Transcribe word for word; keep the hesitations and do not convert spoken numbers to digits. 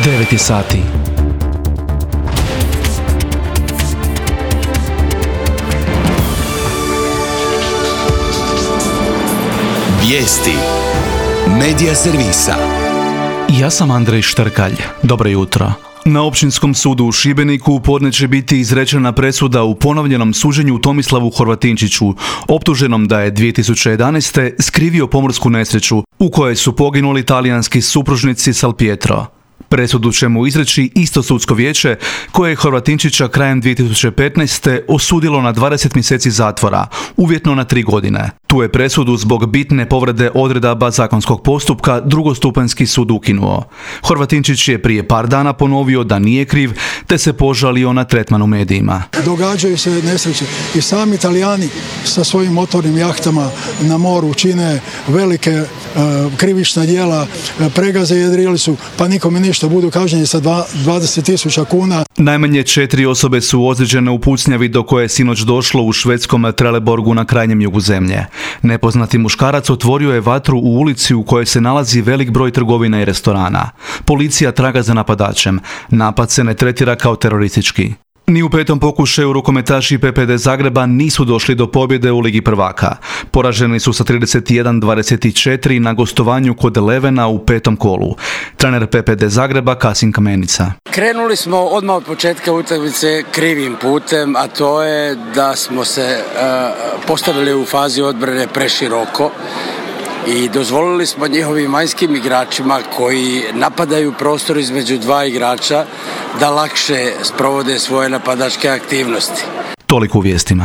devet je sati. Vijesti Medija servisa. Ja sam Andrej Štrkalj. Dobro jutro. Na Općinskom sudu u Šibeniku u podne će biti izrečena presuda u ponovljenom suđenju Tomislavu Horvatinčiću, optuženom da je dvije tisuće jedanaeste. skrivio pomorsku nesreću u kojoj su poginuli talijanski supružnici Salpietro. Presudu će mu izreći isto sudsko vijeće koje je Horvatinčića krajem dvije tisuće petnaeste. osudilo na dvadeset mjeseci zatvora, uvjetno na tri godine. Tu je presudu zbog bitne povrede odredaba zakonskog postupka drugostupanjski sud ukinuo. Horvatinčić je prije par dana ponovio da nije kriv, te se požalio na tretman u medijima. Događaju se nesreće i sami Italijani sa svojim motornim jahtama na moru čine velike e, krivična djela, e, pregaze jedrili su, pa nikome ništa, budu kažnjeni sa dvadeset tisuća kuna. Najmanje četiri osobe su ozlijeđene u pucnjavi do koje je sinoć došlo u švedskom Trelleborgu na krajnjem jugu zemlje. Nepoznati muškarac otvorio je vatru u ulici u kojoj se nalazi velik broj trgovina i restorana. Policija traga za napadačem. Napad se ne tretira kao teroristički. Ni u petom pokušaju rukometaši P P D Zagreba nisu došli do pobjede u Ligi prvaka. Poraženi su sa trideset jedan dvadeset četiri na gostovanju kod Levena u petom kolu. Trener P P D Zagreba Kasim Kamenica. Krenuli smo odmah od početka utakmice krivim putem, a to je da smo se uh, postavili u fazi odbrane preširoko i dozvolili smo njihovim vanjskim igračima koji napadaju prostor između dva igrača da lakše sprovode svoje napadačke aktivnosti. Toliko u vijestima.